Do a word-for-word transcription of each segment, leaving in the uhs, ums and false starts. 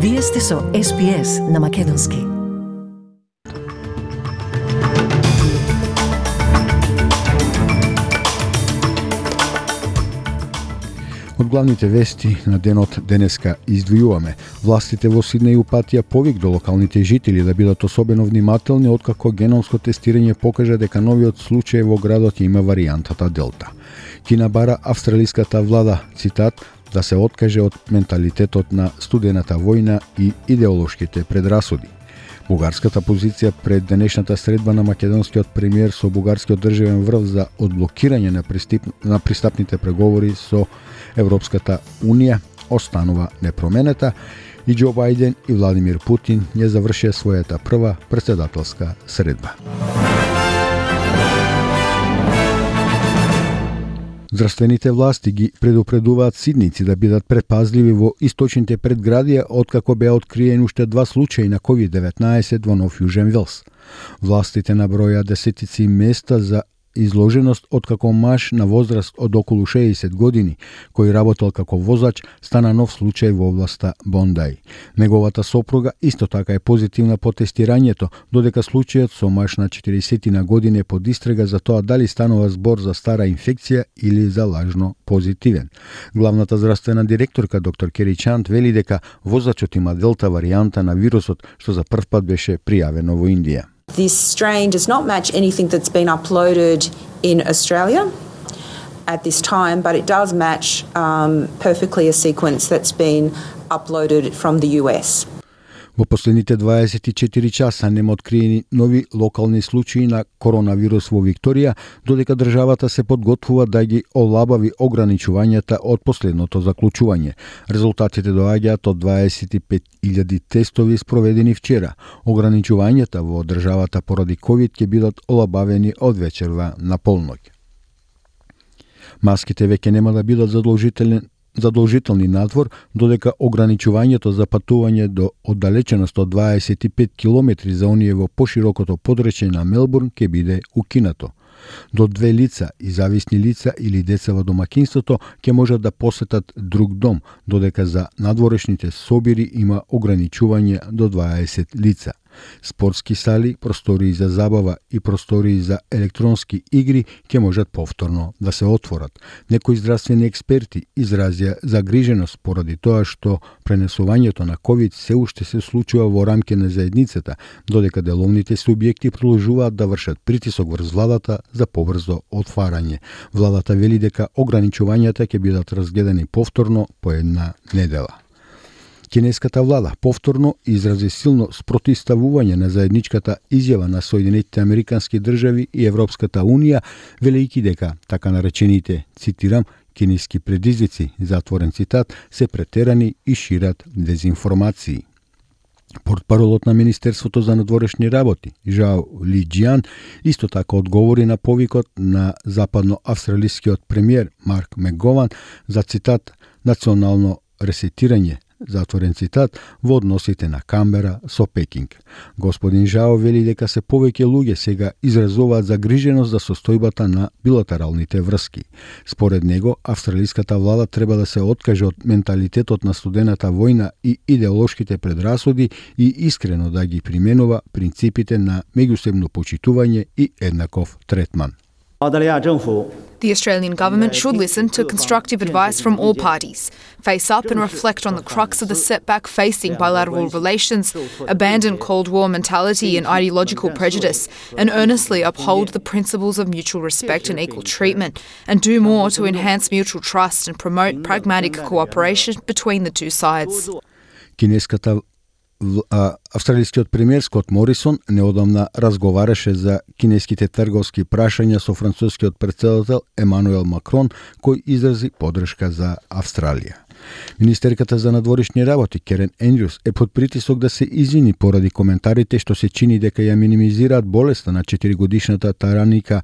Вие сте со Ес Би Ес на Македонски. Од главните вести на денот денеска издвојуваме. Властите во Сиднеј упатија повик до локалните жители да бидат особено внимателни откако геномско тестирање покажа дека новиот случај во градот има варијантата Делта. Кина бара австралиската влада, цитат, да се откаже од менталитетот на студената војна и идеолошките предрасуди. Бугарската позиција пред денешната средба на македонскиот премиер со бугарскиот државен врв за одблокирање на, пристип, на пристапните преговори со Европската Унија останува непроменета и Џо Бајден и Владимир Путин ја завршија својата прва претседателска средба. Здравствените власти ги предупредуваат сидници да бидат предпазливи во источните предградија откако беа откриени уште два случаи на ковид деветнаесет во Нов Јужен Велс. Властите наброја десетици места за изложеност откако маж на возраст од околу шеесет години, кој работел како возач, стана нов случај во областа Бондај. Неговата сопруга исто така е позитивна по тестирањето, додека случајот со маж на четиридесет на години е под истрага за тоа дали станува збор за стара инфекција или за лажно позитивен. Главната здравствена директорка доктор Кери Чант вели дека возачот има делта варијанта на вирусот, што за прв пат беше пријавено во Индија. This strain does not match anything that's been uploaded in Australia at this time, but it does match um, perfectly a sequence that's been uploaded from the U S. Во последните дваесет и четири часа нема откриени нови локални случаи на коронавирус во Викторија, додека државата се подготвува да ги олабави ограничувањата од последното заклучување. Резултатите доаѓаат од дваесет и пет илјади тестови спроведени вчера. Ограничувањата во државата поради ковид ќе бидат олабавени од вечерва на полноќ. Маските веќе нема да бидат задолжителни задолжителни надвор, додека ограничувањето за патување до оддалеченост од дваесет и пет километри за оние во поширокото подречје на Мелбурн ќе биде укинато. До две лица и зависни лица или деца во домакинството ќе можат да посетат друг дом, додека за надворешните собири има ограничување до дваесет лица. Спортски сали, простории за забава и простории за електронски игри ќе можат повторно да се отворат. Некои здравствени експерти изразија загриженост поради тоа што пренесувањето на ковид се уште се случува во рамки на заедницата, додека деловните субјекти продолжуваат да вршат притисок врз владата за побрзо отварање. Владата вели дека ограничувањата ќе бидат разгледани повторно по една недела. Кинеската влада повторно изрази силно спротивставување на заедничката изјава на Соединетите Американски држави и Европската Унија, велејќи дека така наречените, цитирам, кинески предизвици, затворен цитат, се претерани и шират дезинформации. Портпаролот на Министерството за надворешни работи, Жао Лиџијан, исто така одговори на повикот на западноавстралискиот премиер Марк Мегован за цитат национално ресетирање, затворен цитат, во односите на Камбера со Пекинг. Господин Жао вели дека се повеќе луѓе сега изразуваат загриженост за состојбата на билатералните врски. Според него, австралиската влада треба да се откаже од менталитетот на студената војна и идеолошките предрасуди и искрено да ги применува принципите на меѓусебно почитување и еднаков третман. The Australian government should listen to constructive advice from all parties, face up and reflect on the crux of the setback facing bilateral relations, abandon Cold War mentality and ideological prejudice, and earnestly uphold the principles of mutual respect and equal treatment, and do more to enhance mutual trust and promote pragmatic cooperation between the two sides. Кинеската Австралискиот премиер Скот Морисон неодамна разговараше за кинеските трговски прашања со францускиот претседател Емануел Макрон, кој изрази поддршка за Австралија. Министерката за надворешни работи Керен Ендрюс е под притисок да се извини поради коментарите што се чини дека ја минимизираат болеста на четиригодишната тараника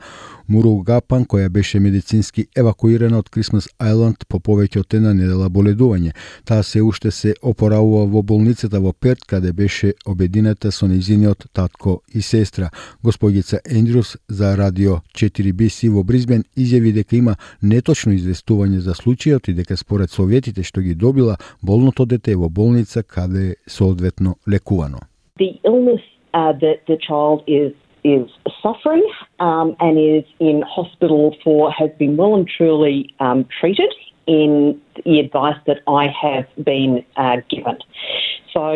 Муругапан, која беше медицински евакуирана од Крисмас Ајланд по повеќе од една недела боледување. Таа се уште се опоравува во болницата во Перт, каде беше обедината со нејзиниот татко и сестра. Госпогица Ендрюс за радио четири би си во Бризбен изјави дека има неточно известување за случајот и дека според советите што ги добила болното дете во болница каде соодветно лекувано. The illness uh, that the child is is suffering um, and is in hospital for has been well and truly um, treated in the advice that I have been uh, given. So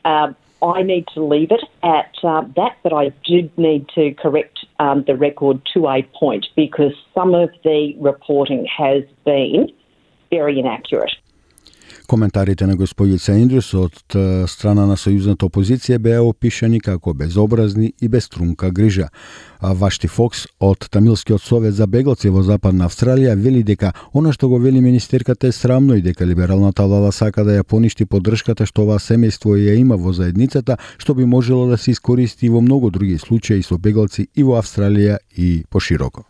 uh, I need to leave it at uh, that, but I did need to correct um, the record to a point because some of the reporting has been very inaccurate. Коментарите на господица Ендрюс од страна на сојузната опозиција беа опишани како безобразни и без трунка грижа. А Вашти Фокс од Тамилскиот совет за беглаци во Западна Австралија вели дека она што го вели министерката е срамно и дека либералната влада сака да ја поништи поддршката што оваа семејство ја има во заедницата, што би можело да се искористи во многу други случаи со беглаци и во Австралија и пошироко.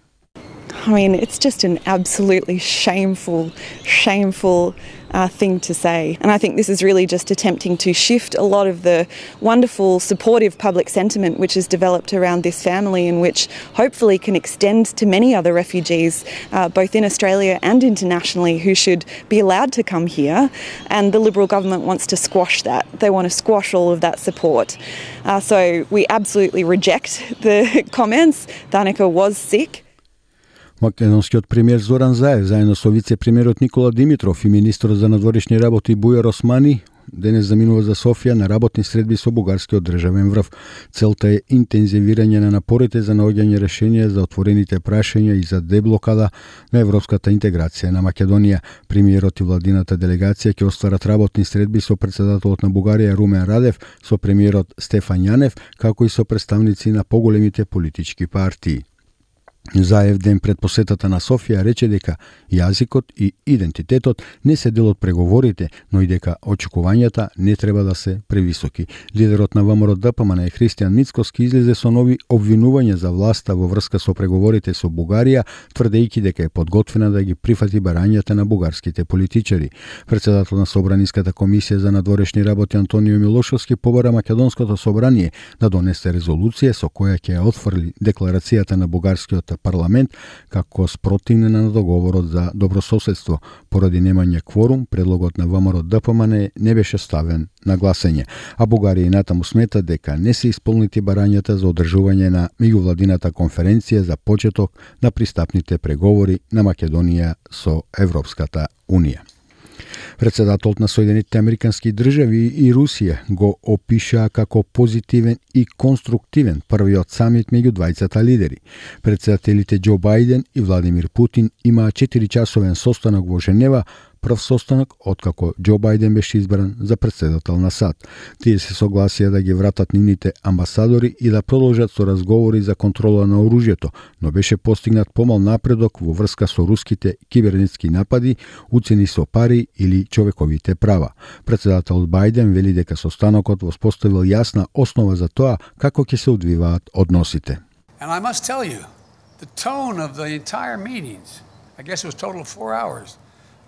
I mean, it's just an absolutely shameful, shameful uh, thing to say. And I think this is really just attempting to shift a lot of the wonderful, supportive public sentiment which has developed around this family and which hopefully can extend to many other refugees, uh, both in Australia and internationally, who should be allowed to come here. And the Liberal government wants to squash that. They want to squash all of that support. Uh, so we absolutely reject the comments. Danica was sick. Македонскиот премиер Зоран Заев, заедно со вице-премиерот Никола Димитров и министрот за надворешни работи Бујар Османи, денес заминува за Софија на работни средби со бугарскиот државен врв. Целта е интензивирање на напорите за наоѓање решенија за отворените прашања и за деблокада на европската интеграција на Македонија. Премиерот и владината делегација ќе остварат работни средби со претседателот на Бугарија Румен Радев, со премиерот Стефан Јанев, како и со представници на поголемите политички партии. Заев ден пред посетата на Софија рече дека јазикот и идентитетот не се дел од преговорите, но и дека очекувањата не треба да се превисоки. Лидерот на ВМРО ДПМН Христијан Мицкоски излезе со нови обвинувања за власта во врска со преговорите со Бугарија, тврдејќи дека е подготвена да ги прифати барањата на бугарските политичари. Претседател на Собраниската комисија за надворешни работи Антонио Милошовски побара Македонското собрание да донесе резолуција со која ќе ја отфрли декларацијата на бугарскиот парламент како спротивна на договорот за добрососедство. Поради немање кворум, предлогот на ВМРО ДПМН не беше ставен на гласање, а Бугарија и натаму смета дека не се исполнити барањата за одржување на меѓувладината конференција за почеток на пристапните преговори на Македонија со Европската Унија. Претседателот на Соединетите Американски држави и Русија го опишаа како позитивен и конструктивен првиот самит меѓу двајцата лидери. Претседателите Џо Бајден и Владимир Путин имаа четиричасовен состанок во Женева, прв состанок откако Џо Бајден беше избран за претседател на САД. Тие се согласија да ги вратат нивните амбасадори и да продолжат со разговори за контрола на оружјето, но беше постигнат помал напредок во врска со руските кибернетски напади, уцени со пари или човековите права. Претседателот Бајден вели дека состанокот воспоставил јасна основа за тоа како ќе се одвиваат односите. And I must tell you, the tone of the entire meetings, I guess it was total of four hours,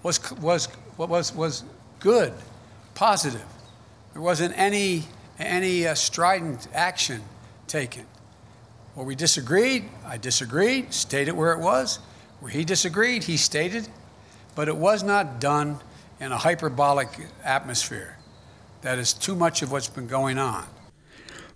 was was was was good, positive. There wasn't any any uh, strident action taken. Where we disagreed, I disagreed, stated where it was. Where he disagreed, he stated, but it was not done in a hyperbolic atmosphere. That is too much of what's been going on.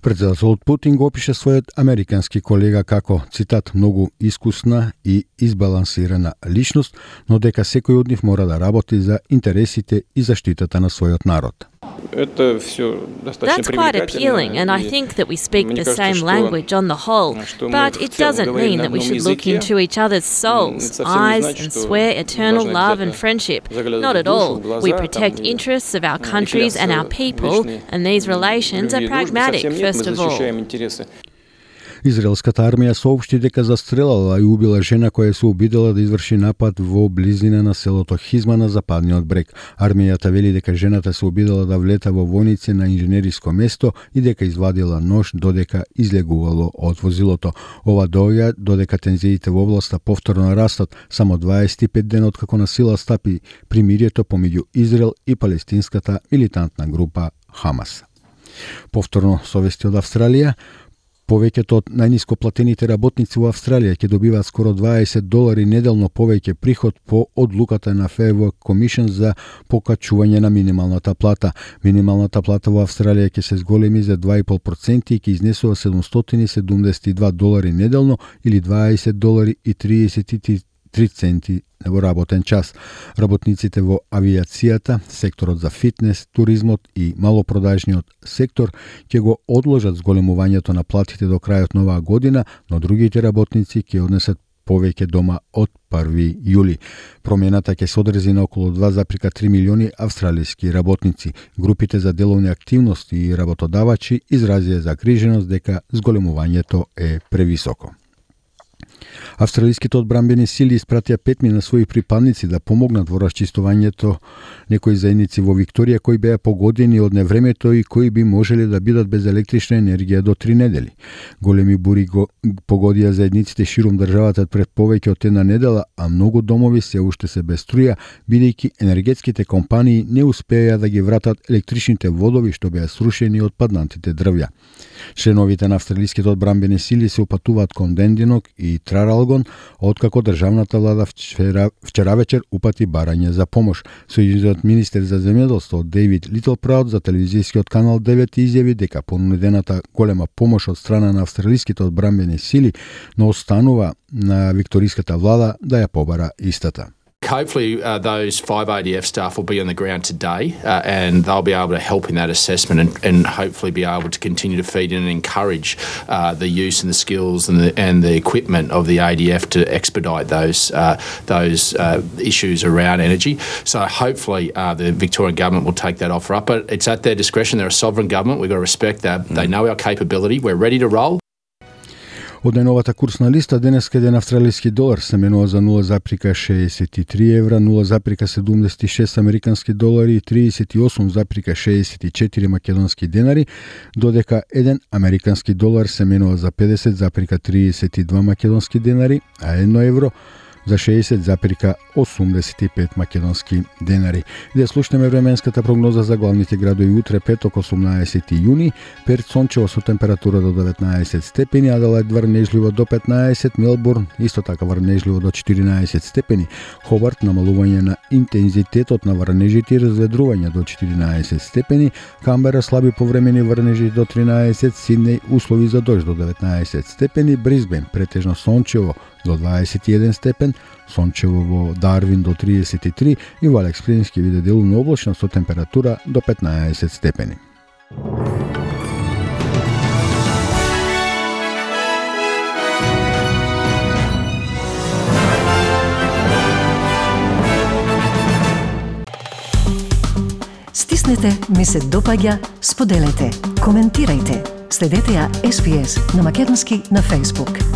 Претседателот Путин го опише својот американски колега како, цитат, многу искусна и избалансирана личност, но дека секој од нив мора да работи за интересите и заштитата на својот народ. That's quite appealing, and I think that we speak the same language on the whole, but it doesn't mean that we should look into each other's souls, eyes, and swear eternal love and friendship. Not at all. We protect interests of our countries and our people, and these relations are pragmatic, first of all. Израелската армија соопшти дека застрелала и убила жена која се обидела да изврши напад во близина на селото Хизма на западниот брег. Армијата вели дека жената се обидела да влета во војници на инженериско место и дека извадила нож додека излегувало од возилото. Ова доаѓа додека тензиите во областа повторно растат, само дваесет и пет дена откако на сила стапи примирието помеѓу Израел и палестинската милитантна група Хамас. Повторно со вести од Австралија, Повеќето од најниско платените работници во Австралија ќе добиваат скоро дваесет долари неделно повеќе приход по одлуката на Fair Work Commission за покачување на минималната плата. Минималната плата во Австралија ќе се зголеми за два и пол проценти и ќе изнесува седумстотини седумдесет и два долари неделно или дваесет долари и триесет и три центи во работен час. Работниците во авиацијата, секторот за фитнес, туризмот и малопродажниот сектор ќе го одложат зголемувањето на платите до крајот на оваа година, но другите работници ќе однесат повеќе дома од први јули. Промената ќе се одрези на околу два зарез три милиони австралиски работници. Групите за деловни активности и работодавачи изразија загриженост дека зголемувањето е превисоко. Австралиските одбранбени сили испратија петми на своји припадници да помогнат во расчистувањето некои заедници во Викторија кои беа погодени од невремето и кои би можеле да бидат без електрична енергија до три недели. Големи бури го погодија заедниците ширум државата пред повеќе од една недела, а многу домови се уште се без струја, бидејќи енергетските компании не успеа да ги вратат електричните водови што беа срушени од паднатите дрвја. Членовите на австралиските одбранбени сили се упатуваат кон Дендинок и Траралгон, откако државната влада вчера, вчера вечер упати барање за помош. Сојузниот министер за земјоделство Дејвид Литлпраут за телевизискиот канал девет изјави дека понудената голема помош од страна на австралиските одбранбени сили, но останува на викториската влада да ја побара истата. Hopefully uh, those five A D F staff will be on the ground today uh, and they'll be able to help in that assessment and, and hopefully be able to continue to feed in and encourage uh, the use and the skills and the, and the equipment of the A D F to expedite those uh, those uh, issues around energy. So hopefully uh, the Victorian government will take that offer up, but it's at their discretion. They're a sovereign government. We've got to respect that. Mm. They know our capability. We're ready to roll. Од најновата курсна листа, денеска еден австралиски долар се менува за нула зарез шеесет и три евра, нула зарез седумдесет и шест американски долари и триесет и осум зарез шеесет и четири македонски денари, додека еден американски долар се менува за педесет зарез триесет и два македонски денари, а едно евро за шеесет зарез осумдесет и пет македонски денари. И да слушнеме временската прогноза за главните градови утре, петок, осумнаесети јуни, Перт сончево со температура до деветнаесет степени, Аделајд врнежливо до петнаесет, Мелбурн исто така врнежливо до четиринаесет степени, Хобарт намалување на интензитетот на врнежите и разведрување до четиринаесет степени, Камбера слаби повремени врнежи до тринаесет, Сиднеј услови за дожд до деветнаесет степени, Брисбен претежно сончево до дваесет и еден степен, сончево во Дарвин до триесет и три и во Алекс Плинс ќе биде делумно облачно со температура до петнаесет степени. Стиснете, ми се допаѓа, споделете, коментирајте. Следете ја Ес Би Ес на македонски на Facebook.